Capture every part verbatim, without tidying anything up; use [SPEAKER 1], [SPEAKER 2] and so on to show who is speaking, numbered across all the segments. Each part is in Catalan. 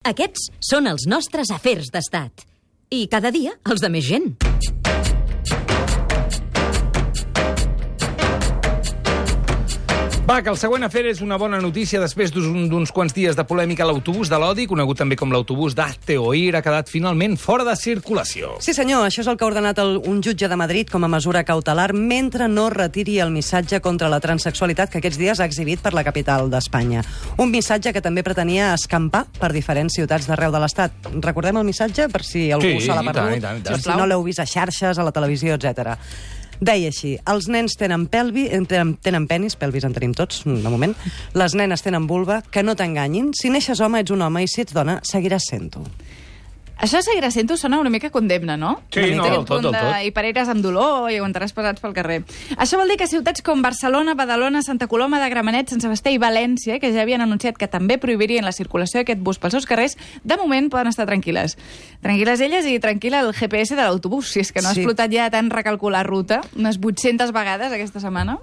[SPEAKER 1] Aquests són els nostres afers d'estat. I cada dia els de més gent.
[SPEAKER 2] Va, que el següent afer és una bona notícia després d'uns quants dies de polèmica. L'autobús de l'odi, conegut també com l'autobús d'Hazte Oír, ha quedat finalment fora de circulació.
[SPEAKER 3] Sí, senyor, això és el que ha ordenat el, un jutge de Madrid com a mesura cautelar mentre no retiri el missatge contra la transsexualitat que aquests dies ha exhibit per la capital d'Espanya. Un missatge que també pretenia escampar per diferents ciutats d'arreu de l'Estat. Recordem el missatge per si algú
[SPEAKER 2] sí,
[SPEAKER 3] se l'ha perdut,
[SPEAKER 2] i tant, i tant, i tant.
[SPEAKER 3] si no l'heu vist a xarxes, a la televisió, etcètera. Deia així, els nens tenen pelvi, tenen, tenen penis, pelvis en tenim tots, de moment, les nenes tenen vulva, que no t'enganyin, si neixes home ets un home i si ets dona seguiràs sent-ho.
[SPEAKER 4] Això seguirà sent-ho sona una mica condemna, no?
[SPEAKER 2] Sí, no, del tot, del tot.
[SPEAKER 4] I pareres amb dolor i aguantaràs pesats pel carrer. Això vol dir que ciutats com Barcelona, Badalona, Santa Coloma de Gramenet, Sant Sebastià i València, que ja havien anunciat que també prohibirien la circulació d'aquest bus pels seus carrers, de moment poden estar tranquil·les. Tranquil·les elles i tranquil·la el G P S de l'autobús, si és que no ha
[SPEAKER 3] Sí.
[SPEAKER 4] explotat ja tant recalcular ruta, unes vuit-centes vegades aquesta setmana.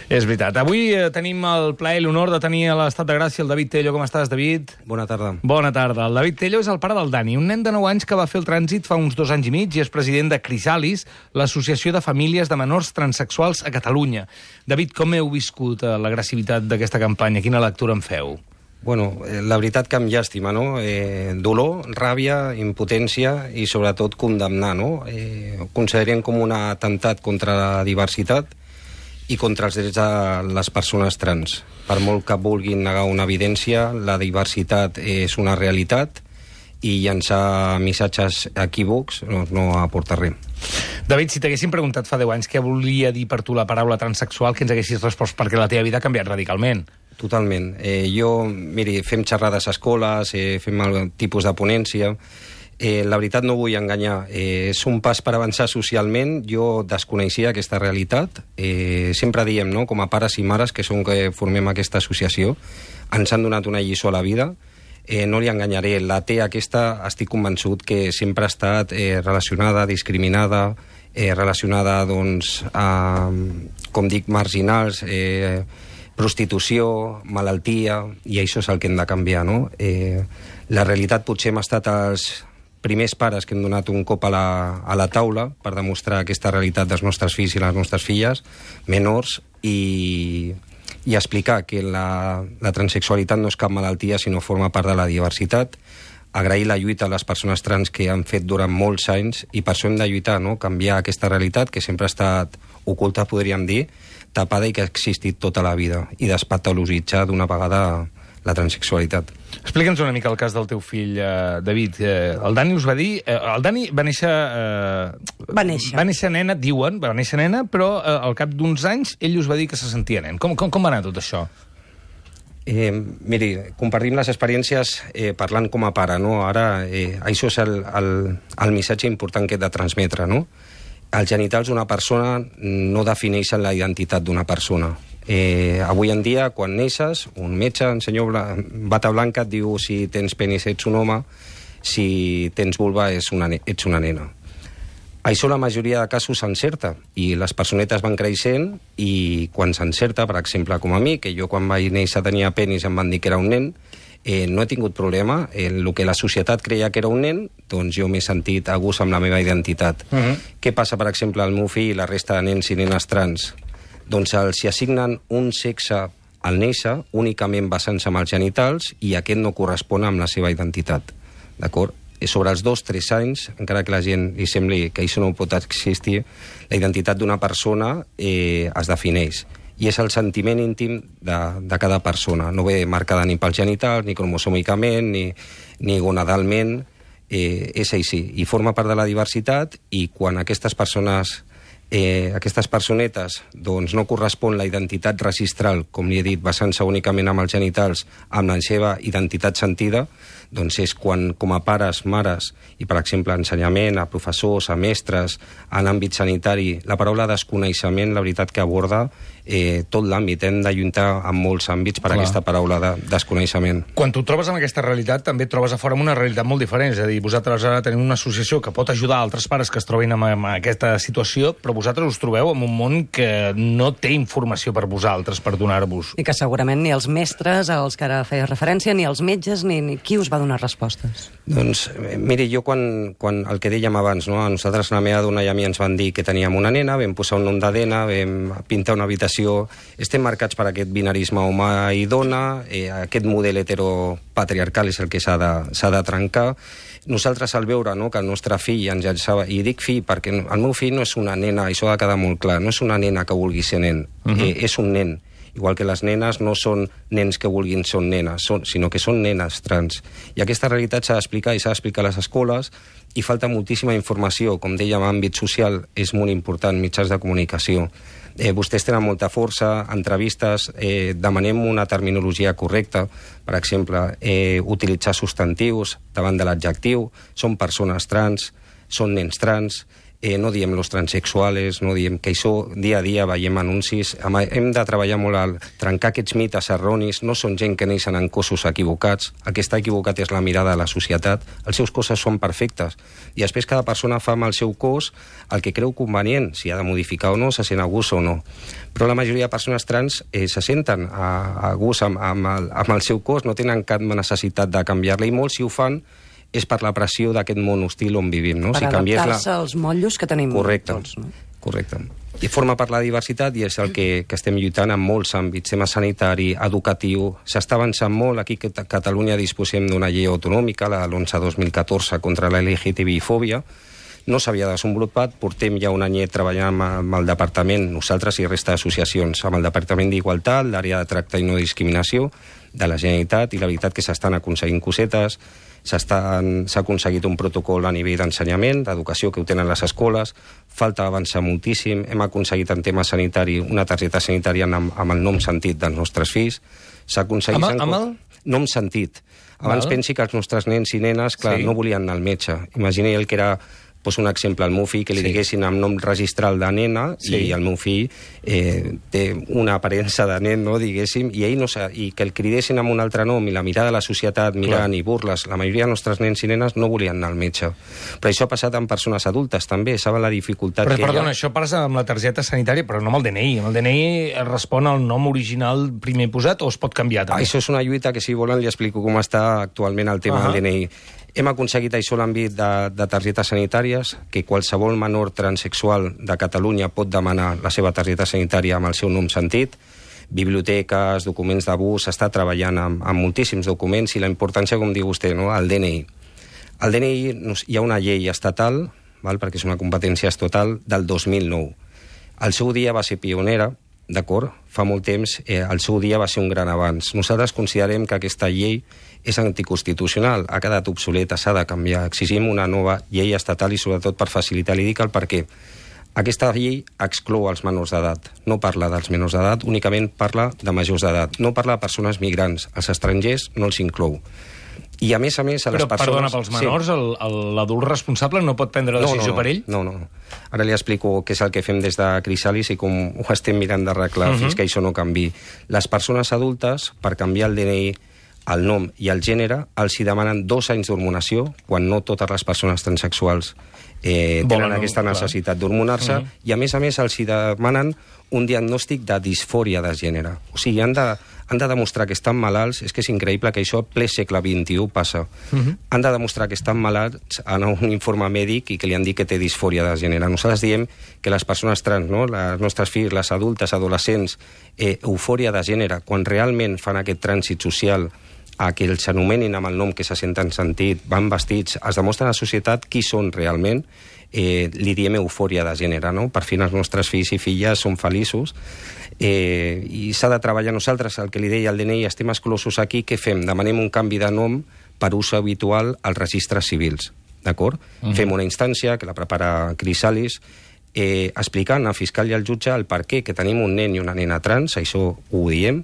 [SPEAKER 2] És veritat. Avui eh, tenim el plaer i l'honor de tenir a l'Estat de Gràcia el David Tello. Com estàs, David?
[SPEAKER 5] Bona tarda.
[SPEAKER 2] Bona tarda. El David Tello és el pare del Dani, un nen de nou anys que va fer el trànsit fa uns dos anys i mig i és president de Crisalis, l'Associació de Famílies de Menors Transsexuals a Catalunya. David, com heu viscut eh, l'agressivitat d'aquesta campanya? Quina lectura en feu?
[SPEAKER 5] Bueno, eh, la veritat que em llàstima, no? Eh, dolor, ràbia, impotència i sobretot condemnar, no? Eh, ho considerem com un atemptat contra la diversitat i contra els drets de les persones trans. Per molt que vulguin negar una evidència, la diversitat és una realitat i llançar missatges equívocs no, no aporta res.
[SPEAKER 2] David, si t'haguessin preguntat fa deu anys què volia dir per tu la paraula transsexual, què ens haguessis respost? Perquè la teva vida ha canviat radicalment.
[SPEAKER 5] Totalment. Eh, jo, miri, fem xerrades a escoles, eh, fem el tipus de ponència. Eh, la veritat no vull enganyar. Eh, és un pas per avançar socialment. Jo desconeixia aquesta realitat. Eh, sempre diem, no?, com a pares i mares, que som que formem aquesta associació, ens han donat una lliçó a la vida. Eh, no li enganyaré, la T aquesta estic convençut que sempre ha estat eh, relacionada, discriminada, eh, relacionada, doncs, a, com dic, marginals, eh, prostitució, malaltia, i això és el que hem de canviar, no? Eh, la realitat potser hem estat els primers pares que hem donat un cop a la, a la taula per demostrar aquesta realitat dels nostres fills i les nostres filles, menors, i... i explicar que la, la transsexualitat no és cap malaltia, sinó forma part de la diversitat, agrair la lluita a les persones trans que han fet durant molts anys, i per això hem de lluitar, no?, canviar aquesta realitat que sempre ha estat oculta, podríem dir, tapada i que ha existit tota la vida, i despatologitzar d'una vegada la transsexualitat.
[SPEAKER 2] Explica'ns una mica el cas del teu fill, eh, David. Eh, el Dani us va dir... Eh, el Dani va néixer... Eh,
[SPEAKER 3] Va néixer.
[SPEAKER 2] Va néixer nena, diuen, va néixer nena, però eh, al cap d'uns anys ell us va dir que se sentia nen. Com, com, com va anar tot això?
[SPEAKER 5] Eh, miri, compartim les experiències eh, parlant com a pare, no? Ara, eh, això és el, el, el missatge important que he de transmetre, no? Els genitals d'una persona no defineixen la identitat d'una persona. Eh, avui en dia, quan neixes, un metge, un senyor bla, bata blanca, et diu si tens penis ets un home, si tens vulva ets una, ets una nena. Això la majoria de casos s'encerta, i les personetes van creixent, i quan s'encerta, per exemple, com a mi, que jo quan vaig néixer tenia penis i em van dir que era un nen, eh, no he tingut problema. En el que la societat creia que era un nen, doncs jo m'he sentit a gust amb la meva identitat. Uh -huh. Què passa, per exemple, al meu fill i la resta de nens i nenes trans? Doncs els assignen un sexe al néixer únicament basant-se en els genitals, i aquest no correspon amb la seva identitat. D'acord? Sobre els dos, tres anys, encara que la gent li sembli que això no pot existir, la identitat d'una persona eh, es defineix. I és el sentiment íntim de, de cada persona. No ve marcada ni pels genitals, ni cromosòmicament, ni, ni gonadalment. Eh, és així. I forma part de la diversitat, i quan aquestes persones... Eh, aquestes personetes doncs, no correspon la identitat registral, com li he dit, basant-se únicament amb els genitals, amb la seva identitat sentida, doncs és quan, com a pares, mares, i per exemple ensenyament, a professors, a mestres, en àmbit sanitari, la paraula desconeixement, la veritat que aborda eh, tot l'àmbit. Hem de lluitar en molts àmbits per
[SPEAKER 2] Clar.
[SPEAKER 5] aquesta paraula de desconeixement.
[SPEAKER 2] Quan tu trobes amb aquesta realitat, també et trobes a fora amb una realitat molt diferent. És a dir, vosaltres ara teniu una associació que pot ajudar altres pares que es trobin en, en aquesta situació, però vosaltres us trobeu en un món que no té informació per vosaltres, per donar-vos.
[SPEAKER 3] I que segurament ni els mestres, als que ara feies referència, ni els metges, ni, ni qui us va a donar respostes?
[SPEAKER 5] Doncs, miri, jo quan, quan el que dèiem abans, no? A nosaltres, la meva dona i a mi ens van dir que teníem una nena, vam posar un nom de nena, vam pintar una habitació... Estem marcats per aquest binarisme home i dona, eh, aquest model heteropatriarcal és el que s'ha de, s'ha de trencar. Nosaltres, al veure, no, que el nostre fill ens llançava... I dic fill perquè el meu fill no és una nena, això ha de quedar molt clar, no és una nena que vulgui ser nen, uh-huh. eh, és un nen. Igual que les nenes no són nens que vulguin ser nenes, són, sinó que són nenes trans. I aquesta realitat s'ha d'explicar i s'ha d'explicar a les escoles i falta moltíssima informació. Com dèiem, àmbit social és molt important, mitjans de comunicació. Eh, vostès tenen molta força, entrevistes, eh, demanem una terminologia correcta, per exemple, eh, utilitzar substantius davant de l'adjectiu, són persones trans, són nens trans, Eh, no diem los transexuales, no diem que això dia a dia veiem anuncis. Hem de treballar molt al trencar aquests mites erronis. No són gent que neixen en cossos equivocats. El que està equivocat és la mirada de la societat. Els seus cossos són perfectes. I després cada persona fa amb el seu cos el que creu convenient, si ha de modificar o no, se sent a gust o no. Però la majoria de persones trans eh, se senten a, a gust amb, amb, el, amb el seu cos, no tenen cap necessitat de canviar-la, i molts, si ho fan, és per la pressió d'aquest món hostil on vivim, no?
[SPEAKER 3] Per
[SPEAKER 5] si
[SPEAKER 3] adaptar-se als motllos que tenim
[SPEAKER 5] correcte,
[SPEAKER 3] tots, no?
[SPEAKER 5] Correcte. I forma part la diversitat i és el que, que estem lluitant en molts àmbits, tema sanitari, educatiu. S'està avançant molt. Aquí a Catalunya disposem d'una llei autonòmica, la l'onze dos mil catorze, contra la L G T B I fòbia. No s'havia desenvolupat, portem ja un anyet treballant amb, amb el departament, nosaltres i resta d'associacions, amb el Departament d'Igualtat, l'àrea de tracte i no discriminació de la Generalitat, i la veritat que s'estan aconseguint cosetes. S'ha aconseguit un protocol a nivell d'ensenyament, d'educació, que ho tenen les escoles, falta avançar moltíssim, hem aconseguit en tema sanitari una targeta sanitària amb, amb el nom sentit dels nostres fills, s'ha aconseguit...
[SPEAKER 2] Amb, amb el?
[SPEAKER 5] Nom sentit. Abans Val. Pensi que els nostres nens i nenes, clar, sí. no volien anar al metge. Imagini el que era... Pues un exemple, al meu fill, que li sí. diguessin amb nom registral de nena, sí. i el meu fill eh, té una aparença de nen, no, diguéssim, i ell no sa, i que el cridessin amb un altre nom, i la mirada de la societat mirant Clar. I burles, la majoria de nostres nens i nenes no volien anar al metge. Però això ha passat amb persones adultes, també, saben la dificultat
[SPEAKER 2] però,
[SPEAKER 5] que
[SPEAKER 2] perdona,
[SPEAKER 5] hi ha...
[SPEAKER 2] això passa amb la targeta sanitària, però no amb el D N I. Amb el D N I es respon al nom original primer posat o es pot canviar, també?
[SPEAKER 5] Ah, això és una lluita que, si volen, li explico com està actualment el tema uh-huh. del D N I. Hem aconseguit això a l'àmbit de, de targetes sanitàries, que qualsevol menor transexual de Catalunya pot demanar la seva targeta sanitària amb el seu nom sentit. Biblioteques, documents d'abús, s'està treballant amb, amb moltíssims documents, i la importància, com diu vostè, no? El D N I. El D N I, hi ha una llei estatal, val? Perquè és una competència estatal, del dos mil nou. Al seu dia va ser pionera, d'acord? Fa molt temps, eh, al seu dia va ser un gran avanç. Nosaltres considerem que aquesta llei és anticonstitucional, ha quedat obsoleta, s'ha de canviar. Exigim una nova llei estatal, i sobretot per facilitar. Li dic el per què. Aquesta llei exclou els menors d'edat, no parla dels menors d'edat, únicament parla de majors d'edat, no parla de persones migrants, els estrangers no els inclou. I a més a més a les
[SPEAKER 2] Però,
[SPEAKER 5] persones...
[SPEAKER 2] perdona, pels menors, sí. l'adult responsable no pot prendre la decisió
[SPEAKER 5] no, no,
[SPEAKER 2] per ell?
[SPEAKER 5] No, no, no. Ara li explico què és el que fem des de Crisalis i com ho estem mirant d'arreglar uh-huh. fins que això no canvi. Les persones adultes, per canviar el D N I, el nom i el gènere, els hi demanen dos anys d'hormonació, quan no totes les persones transexuals eh, tenen Volen, aquesta necessitat d'hormonar-se, uh -huh. i a més a més els hi demanen un diagnòstic de disfòria de gènere. O sigui, han de, han de demostrar que estan malalts, és que és increïble que això a ple segle vint-i-u passa. Uh -huh. Han de demostrar que estan malalts en un informe mèdic i que li han dit que té disfòria de gènere. Nosaltres diem que les persones trans, no? Les nostres fills, les adultes, adolescents, eh, eufòria de gènere, quan realment fan aquest trànsit social a que els anomenin amb el nom que se senten sentit, van vestits, es demostra a la societat qui són realment, eh, li diem eufòria de gènere, no? Per fi els nostres fills i filles són feliços, eh, i s'ha de treballar. Nosaltres, el que li deia al D N I, estem exclosos aquí, què fem? Demanem un canvi de nom per ús habitual als registres civils, d'acord? Uh-huh. Fem una instància que la prepara Crisalis, eh, explicant al fiscal i al jutge el per què que tenim un nen i una nena trans, això ho diem.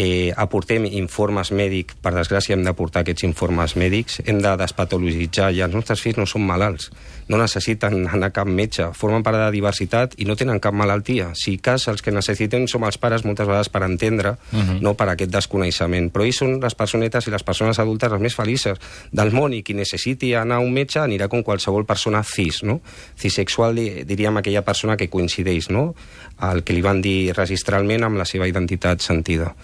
[SPEAKER 5] Eh, aportem informes mèdics, per desgràcia hem d'aportar aquests informes mèdics, hem de despatologitzar, i els nostres fills no són malalts, no necessiten anar a cap metge, formen part de la diversitat i no tenen cap malaltia. Si cas, els que necessiten som els pares moltes vegades per entendre, uh-huh. no per aquest desconeixement, però ells són les personetes i les persones adultes les més felices del món, i qui necessiti anar a un metge anirà com qualsevol persona cis, no? Cisexual, diríem aquella persona que coincideix, no? El que li van dir registralment amb la seva identitat sentida.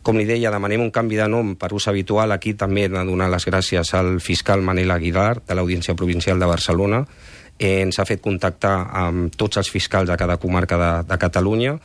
[SPEAKER 5] Com li deia, demanem un canvi de nom per ús habitual. Aquí també hem de donar les gràcies al fiscal Manel Aguilar, de l'Audiència Provincial de Barcelona. Eh, ens ha fet contactar amb tots els fiscals de cada comarca de, de Catalunya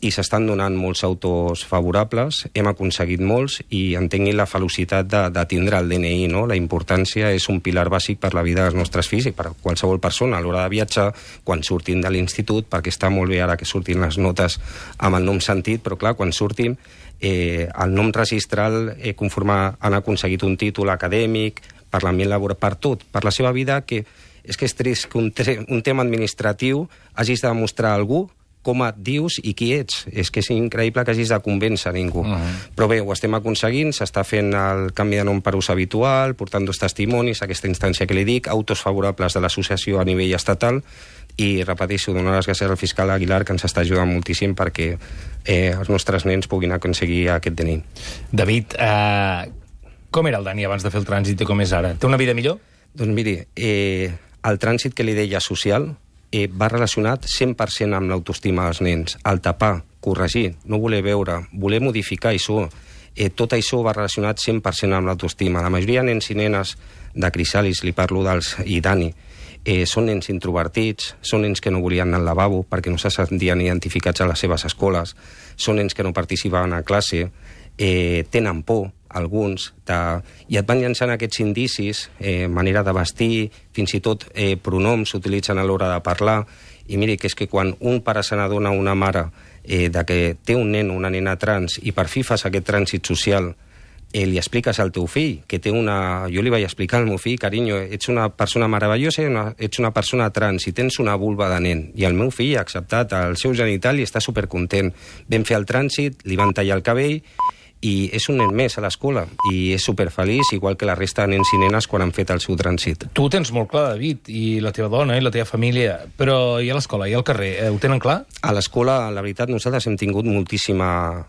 [SPEAKER 5] i s'estan donant molts autors favorables, hem aconseguit molts i entenguin la felicitat de, de tindre el D N I, no? La importància és un pilar bàsic per la vida dels nostres fills i per qualsevol persona a l'hora de viatjar, quan surtin de l'institut, perquè està molt bé ara que surtin les notes amb el nom sentit, però clar, quan surtin, eh, el nom registral eh, conforme han aconseguit un títol acadèmic, per l'ambient laboral, per tot, per la seva vida, que és que és trist que un, un tema administratiu hagis de demostrar a algú com et dius i qui ets. És que és increïble que hagis de convèncer ningú. Uh -huh. Però bé, ho estem aconseguint, s'està fent el canvi de nom per ús habitual, portant dos testimonis, aquesta instància que li dic, autos favorables de l'associació a nivell estatal, i repeteixo, donar les gràcies al fiscal Aguilar, que ens està ajudant moltíssim perquè eh, els nostres nens puguin aconseguir aquest D N I.
[SPEAKER 2] David, eh, com era el Dani abans de fer el trànsit i com és ara? Té una vida millor?
[SPEAKER 5] Doncs miri, eh, el trànsit que li deia social Eh, va relacionat cent per cent amb l'autoestima dels nens. El tapar, corregir, no voler veure, voler modificar això, eh, tot això va relacionat cent per cent amb l'autoestima. La majoria de nens i nenes de Crisalis, li parlo dels i Dani, eh, són nens introvertits, són nens que no volien anar al lavabo perquè no se sentien identificats a les seves escoles, són nens que no participaven a classe, eh, tenen por, alguns, de... i et van llançant aquests indicis, eh, manera de vestir, fins i tot eh, pronoms s'utilitzen a l'hora de parlar, i miri que és que quan un pare se n'adona, una mare, eh, de que té un nen o una nena trans, i per fi fas aquest trànsit social, eh, li expliques al teu fill, que té una... Jo li vaig explicar al meu fill, carinyo, ets una persona meravellosa, una... ets una persona trans, i tens una vulva de nen, i el meu fill ha acceptat el seu genital i està supercontent. Vam fer el trànsit, li van tallar el cabell, i és un nen més a l'escola, i és superfeliç, igual que la resta de nens i nenes quan han fet el seu trànsit.
[SPEAKER 2] Tu ho tens molt clar, David, i la teva dona i la teva família, però i a l'escola, i al carrer, eh, ho tenen clar?
[SPEAKER 5] A l'escola, la veritat, nosaltres hem tingut moltíssima,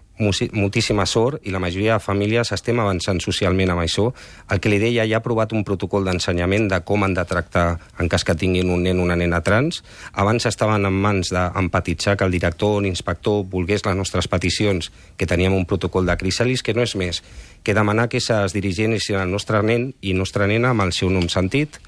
[SPEAKER 5] moltíssima sort i la majoria de famílies estem avançant socialment amb això. El que li deia, ja ha aprovat un protocol d'ensenyament de com han de tractar en cas que tinguin un nen o una nena trans. Abans estaven en mans d'empatitzar que el director o l'inspector volgués les nostres peticions, que teníem un protocol de Crisalis, que no és més que demanar que es dirigissin al nostre nen i nostra nena amb el seu nom sentit,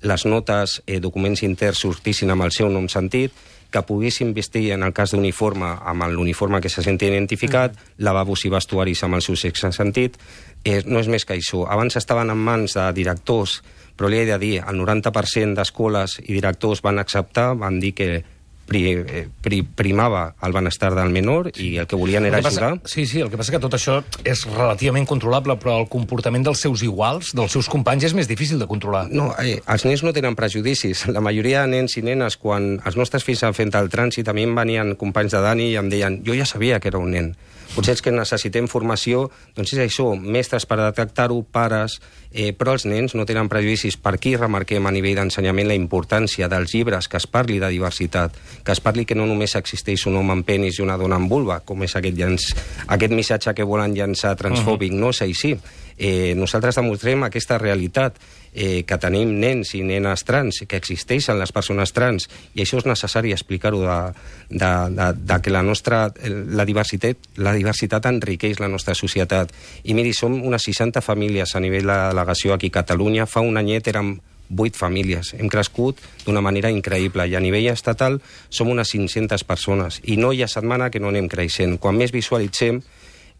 [SPEAKER 5] les notes, eh, documents interns sortissin amb el seu nom sentit, que poguessin vestir, en el cas d'uniforme, amb l'uniforme que se senti identificat, mm. lavabos i vestuaris amb el seu sexe sentit. Eh, no és més que això. Abans estaven en mans de directors, però li he de dir, el noranta per cent d'escoles i directors van acceptar, van dir que pri, eh, pri, primava el benestar del menor i el que volien era
[SPEAKER 2] el que passa,
[SPEAKER 5] ajudar.
[SPEAKER 2] Sí, sí, el que passa que tot això és relativament controlable, però el comportament dels seus iguals, dels seus companys, és més difícil de controlar.
[SPEAKER 5] No, eh, els nens no tenen prejudicis. La majoria de nens i nenes, quan els nostres fills han fet el trànsit, a mi em venien companys de Dani i em deien, jo ja sabia que era un nen. Potser és que necessitem formació, doncs és això, mestres per detectar-ho, pares, eh, però els nens no tenen prejudicis. Per aquí remarquem a nivell d'ensenyament la importància dels llibres, que es parli de diversitat, que es parli que no només existeix un home amb penis i una dona amb vulva, com és aquest, llanç, aquest missatge que volen llançar transfòbic. Uh-huh. No és així. Eh, nosaltres demostrem aquesta realitat, eh, que tenim nens i nenes trans, que existeixen les persones trans, i això és necessari explicar-ho, de, de, de, de que la nostra la diversitat, la diversitat enriqueix la nostra societat. I miri, som unes seixanta famílies a nivell de delegació aquí a Catalunya. Fa un anyet érem vuit famílies. Hem crescut d'una manera increïble i a nivell estatal som unes cinc-centes persones i no hi ha setmana que no anem creixent. Quan més visualitzem,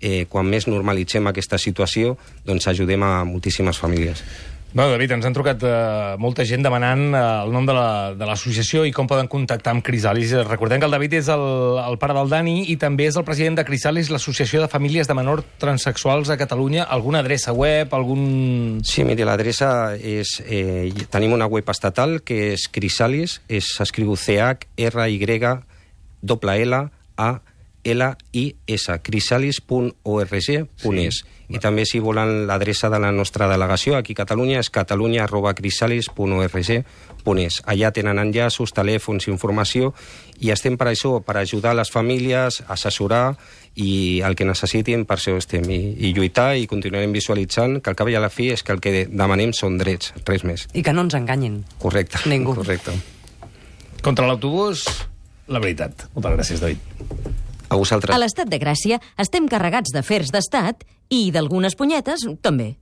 [SPEAKER 5] eh, quan més normalitzem aquesta situació, doncs ajudem a moltíssimes famílies.
[SPEAKER 2] Bueno, David, ens han trucat eh, molta gent demanant eh, el nom de l'associació la, i com poden contactar amb Crisalis. Recordem que el David és el, el pare del Dani i també és el president de Crisalis, l'Associació de Famílies de Menors Transsexuals a Catalunya. Alguna adreça web, algun...
[SPEAKER 5] Sí, miri, l'adreça és... Eh, tenim una web estatal que és Crisalis, s'escriu C H R Y L A L I S, crisalis punt org punt es. Sí. I també, si volen, l'adreça de la nostra delegació aquí a Catalunya és catalunya arroba crisalis punt org punt es. Allà tenen enllaços, telèfons, informació, i estem per això, per ajudar les famílies, assessorar, i el que necessitin, per això estem, i, i lluitar, i continuarem visualitzant que al cap i a la fi és que el que demanem són drets, res més.
[SPEAKER 3] I que no ens enganyin.
[SPEAKER 5] Correcte.
[SPEAKER 3] Ningú.
[SPEAKER 5] Correcte.
[SPEAKER 2] Contra l'autobús, la veritat. Moltes gràcies, David.
[SPEAKER 5] A vosaltres.
[SPEAKER 1] A l'Estat de Gràcia estem carregats d'afers d'estat i d'algunes punyetes també.